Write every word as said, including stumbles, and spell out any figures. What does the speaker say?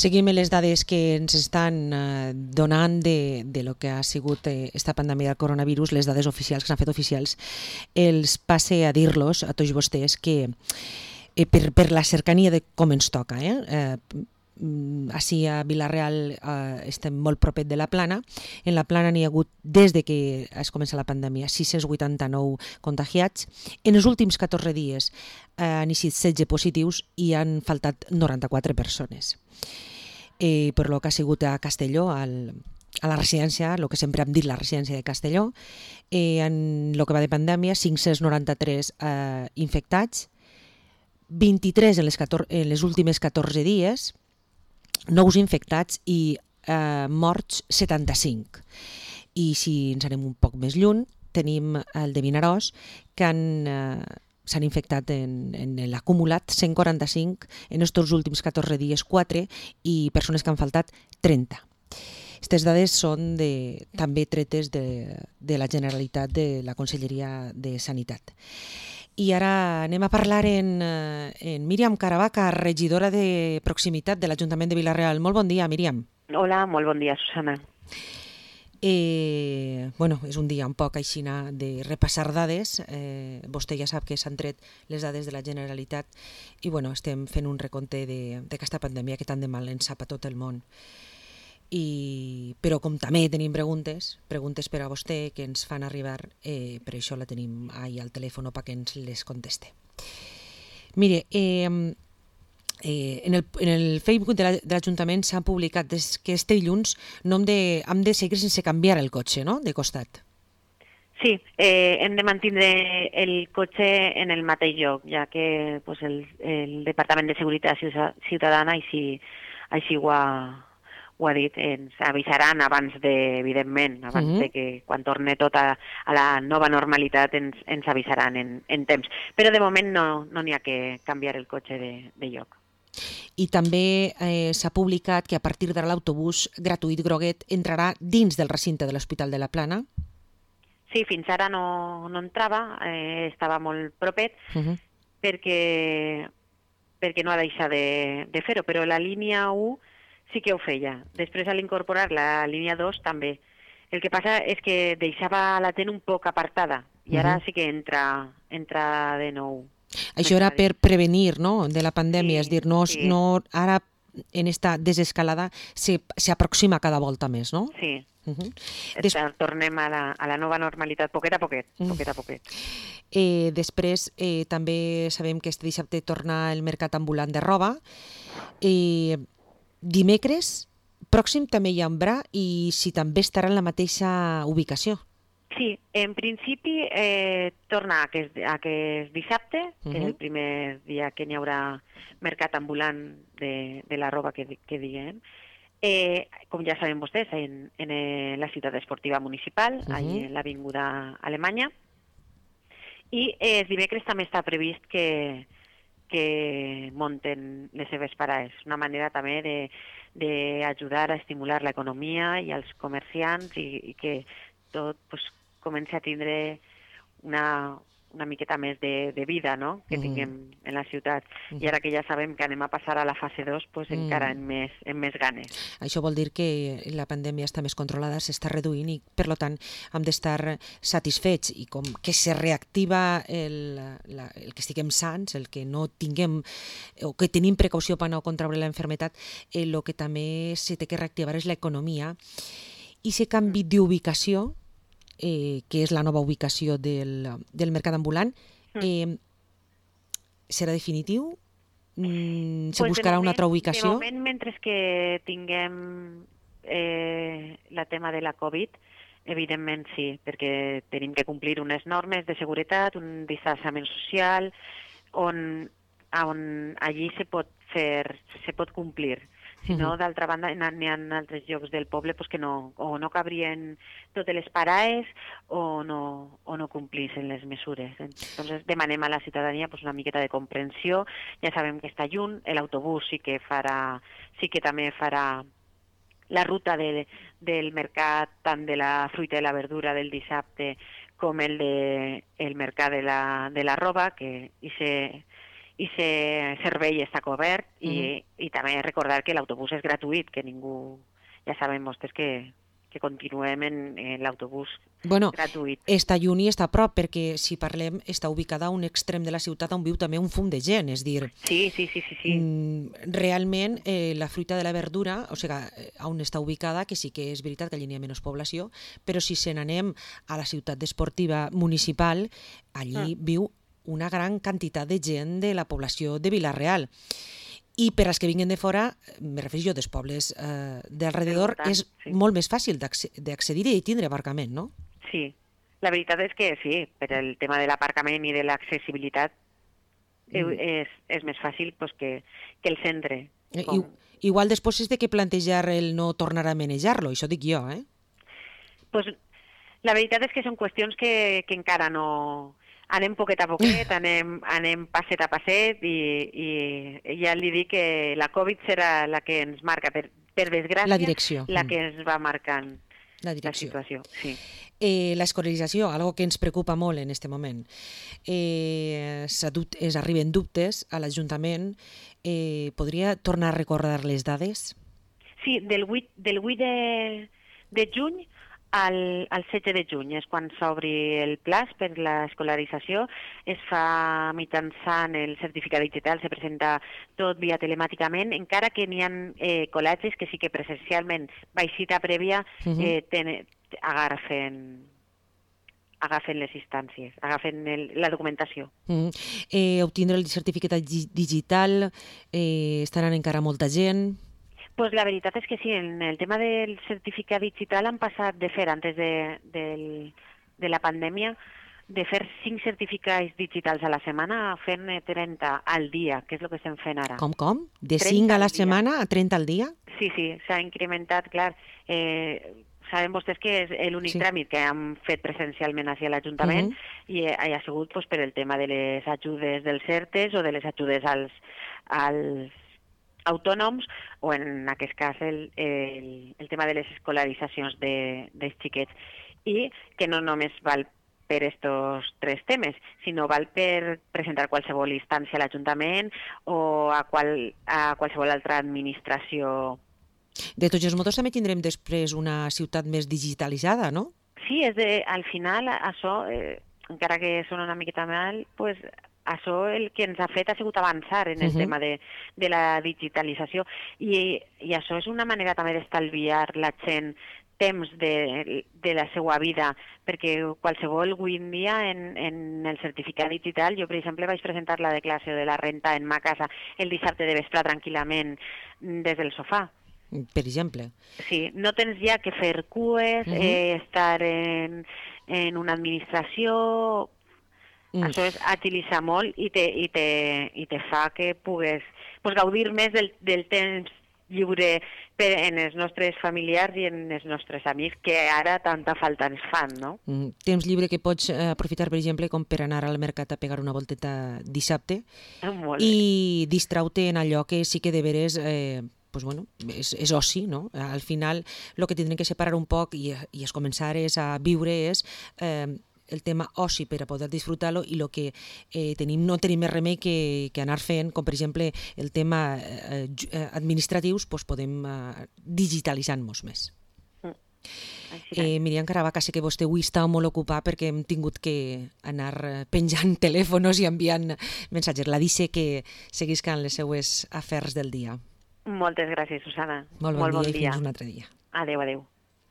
Seguim les dades que ens estan eh, donant de, de lo que ha sigut eh, esta pandèmia del coronavirus, les dades oficials que s'han fet oficials. Els passe a dir-los a tots vostès que eh, per, per la cercania de com ens toca, eh, eh, així a Vila-real eh, estem molt propet de la Plana. En la Plana n'hi ha hagut, des de que es comença la pandèmia, sis-cents vuitanta-nou contagiats. En els últims catorze dies eh, han eixit setze positius i han faltat noranta-quatre persones. Eh, per lo que ha sigut a Castelló, al, a la residència, el que sempre hem dit la residència de Castelló, eh, en el que va de pandèmia, cinc-cents noranta-tres eh, infectats, vint-i-tres en les, catorze, en les últimes catorze dies, nous infectats i eh, morts setanta-cinc. I si ens anem un poc més lluny, tenim el de Vinaròs, que han, eh, s'han infectat en, en l'acumulat cent quaranta-cinc, en aquests últims catorze dies quatre, i persones que han faltat trenta. Aquestes dades són de, també tretes de, de la Generalitat, de la Conselleria de Sanitat. I ara anem a parlar en, en Míriam Caravaca, regidora de proximitat de l'Ajuntament de Vila-real. Molt bon dia, Míriam. Hola, molt bon dia, Susana. Eh, bueno, és un dia un poc així de repassar dades. Eh, vostè ja sap que s'han tret les dades de la Generalitat i bueno, estem fent un recompte d'aquesta pandèmia que tant de mal ens sap a tot el món. I, però com també tenim preguntes, preguntes per a vostè que ens fan arribar, eh, per això la tenim ahí al telèfon perquè ens les conteste. Mire, eh, eh, en, el, en el Facebook de l'Ajuntament s'ha publicat des que este dilluns no hem de, hem de seguir sense canviar el cotxe, no?, de costat. Sí, eh, hem de mantenir el cotxe en el mateix lloc, ja que pues, el, el Departament de Seguretat Ciutadana així, així ho ha... ho ha dit, ens avisaran abans de, evidentment, abans uh -huh. de que quan torni tot a, a la nova normalitat ens, ens avisaran en, en temps. Però de moment no n'hi no ha que canviar el cotxe de, de lloc. I també eh, s'ha publicat que a partir d'ara l'autobús gratuït groguet entrarà dins del recinte de l'Hospital de la Plana? Sí, fins ara no, no entrava, eh, estava molt propet, uh -huh. perquè, perquè no ha deixat de, de fer-ho, però la línia u sí que ho feia. Després, a l'incorporar la línia dos, també. El que passa és que deixava la T E N un poc apartada i ara uh-huh. sí que entra, entra de nou. Això era per prevenir, no?, de la pandèmia, sí, és dir, no, sí. no, ara en esta desescalada s'aproxima cada volta més, no? Sí. Uh-huh. Des... Tornem a la, a la nova normalitat, poquet a poquet, poquet a poquet. Eh, després, eh, també sabem que este dissabte torna el mercat ambulant de roba. Eh, Dimecres pròxim també hi haurà i si també estarà en la mateixa ubicació. Sí, en principi eh, torna aquest, aquest dissabte, que uh-huh. és el primer dia que n'hi haurà mercat ambulant de, de la roba que, que diguem. Eh, com ja saben vostès, en, en la ciutat esportiva municipal, uh-huh. allà en l'Avinguda Alemanya. I eh, dimecres també està previst que que munten les seves parades. Una manera també d'ajudar a estimular l'economia i els comerciants i, i que tot pues, comenci a tindre una, una miqueta més de, de vida, no?, que tinguem mm. en la ciutat. Mm. I ara que ja sabem que anem a passar a la fase dos, pues, mm. encara amb més, amb més ganes. Això vol dir que la pandèmia està més controlada, s'està reduint i, per tant, hem d'estar satisfets i com que se reactiva el, la, el que estiguem sants, el que no tinguem o que tenim precaució per no contraure la enfermetat, el que també se té que reactivar és l'economia i se canvi d'ubicació, Eh, que és la nova ubicació del, del mercat ambulant, eh, serà definitiu? Mm, se pues buscarà moment, una altra ubicació? De moment, mentre que tinguem eh, el tema de la Covid, evidentment sí, perquè tenim que complir unes normes de seguretat, un distanciament social, on, on allí se pot fer, se pot complir. Si no, d'altra banda, n'hi ha altres llocs del poble pues, que no, o no cabrien totes les parades o no, o no complissin les mesures. Entonces, demanem a la ciutadania pues, una miqueta de comprensió. Ja sabem que està lluny, l'autobús sí que farà, sí que també farà la ruta de, del mercat, tant de la fruita i la verdura del dissabte com el, de, el mercat de la, de la roba, que i se i el servei està cobert, i, mm. i també recordar que l'autobús és gratuït, que ningú, ja sabem vostès que, que continuem en, en l'autobús bueno, gratuït. Està lluny i està a prop, perquè si parlem està ubicada a un extrem de la ciutat on viu també un fum de gent, és dir... Sí, sí, sí, sí. sí. Realment, eh, la fruita de la verdura, o sigui, on està ubicada, que sí que és veritat que allí n'hi ha menys població, però si se n'anem a la ciutat esportiva municipal, allí mm. viu una gran quantitat de gent de la població de Vila-real. I per als que vinguin de fora, me refereixo jo dels pobles eh, d'alrededor, és sí. molt més fàcil d'accedir i tindre aparcament, no? Sí, la veritat és que sí, per el tema de l'aparcament i de l'accessibilitat mm. és, és més fàcil pues, que, que el centre. Com... I, igual després és de que plantejar el no tornar a manejar-lo, això dic jo, eh? Pues, la veritat és que són qüestions que, que encara no... Anem poquet a poquet, anem, anem passet a passet i, i ja li dic que la Covid serà la que ens marca, per, per desgràcia, la direcció. La que ens va marcant la, la situació. Sí. Eh, l'escolarització, algo que ens preocupa molt en aquest moment. Eh, es arriben dubtes a l'Ajuntament. Eh, podria tornar a recordar les dades? Sí, del vuit, del vuit de, de juny Al, al setze de juny és quan s'obri el plaç per l'escolarització, es fa mitjançant el certificat digital, se presenta tot via telemàticament, encara que n'hi ha eh, col·legis que sí que presencialment, baix cita prèvia, uh -huh. eh, ten, agafen, agafen les instàncies, agafen el, la documentació. Uh -huh. eh, obtindre el certificat digital, eh, estaran encara molta gent... Pues la veritat és que sí, en el tema del certificat digital han passat de fer, antes de, de, de la pandèmia, de fer cinc certificats digitals a la setmana a fer-ne trenta al dia, que és el que estem fent ara. Com, com? De cinc a la setmana a trenta al dia? Sí, sí, s'ha incrementat, clar. Eh, sabem vostès que és l'únic sí. tràmit que hem fet presencialment hacia l'Ajuntament uh -huh. i ha sigut pues, per el tema de les ajudes dels CERTES o de les ajudes als, als autònoms, o en aquest cas el, el, el tema de les escolaritzacions de, dels xiquets, i que no només val per estos tres temes, sinó val per presentar qualsevol instància a l'Ajuntament o a, qual, a qualsevol altra administració. De tots els modos també tindrem després una ciutat més digitalitzada, no? Sí, és de, al final això, eh, encara que sona una miqueta mal, pues, això el que ens ha fet ha sigut avançar en el uh -huh. tema de, de la digitalització i, i això és una manera també d'estalviar la gent temps de, de la seva vida, perquè qualsevol avui en dia en, en el certificat digital, jo per exemple vaig presentar la declaració de la renta en ma casa el dissabte de vespre tranquil·lament des del sofà. Per exemple. Sí, no tens ja que fer cues, uh -huh. eh, estar en, en una administració... Mm. Això és agilitzar molt i te, i te, i te fa que pugues pues, gaudir més del, del temps lliure per, en els nostres familiars i en els nostres amics, que ara tanta falta ens fan, no? Mm. Temps lliure que pots eh, aprofitar, per exemple, com per anar al mercat a pegar una volteta dissabte i distraure en allò que sí que de veres... Eh, pues bueno, és, és oci, no? Al final, el que tindrem que separar un poc i, i es començar és a viure és... Eh, el tema oci per a poder disfrutar-lo i el que eh, tenim, no tenim més remei que, que anar fent, com per exemple el tema eh, administratius, doncs podem eh, digitalitzar-nos més. Mm. Eh, Míriam Caravaca, sé que vostè avui està molt ocupat perquè hem tingut que anar penjant telèfons i enviant missatges. La deixe que seguiscan les seues afers del dia. Moltes gràcies, Susana. Molt bon, molt bon dia, dia i fins un altre dia. Adéu, adéu.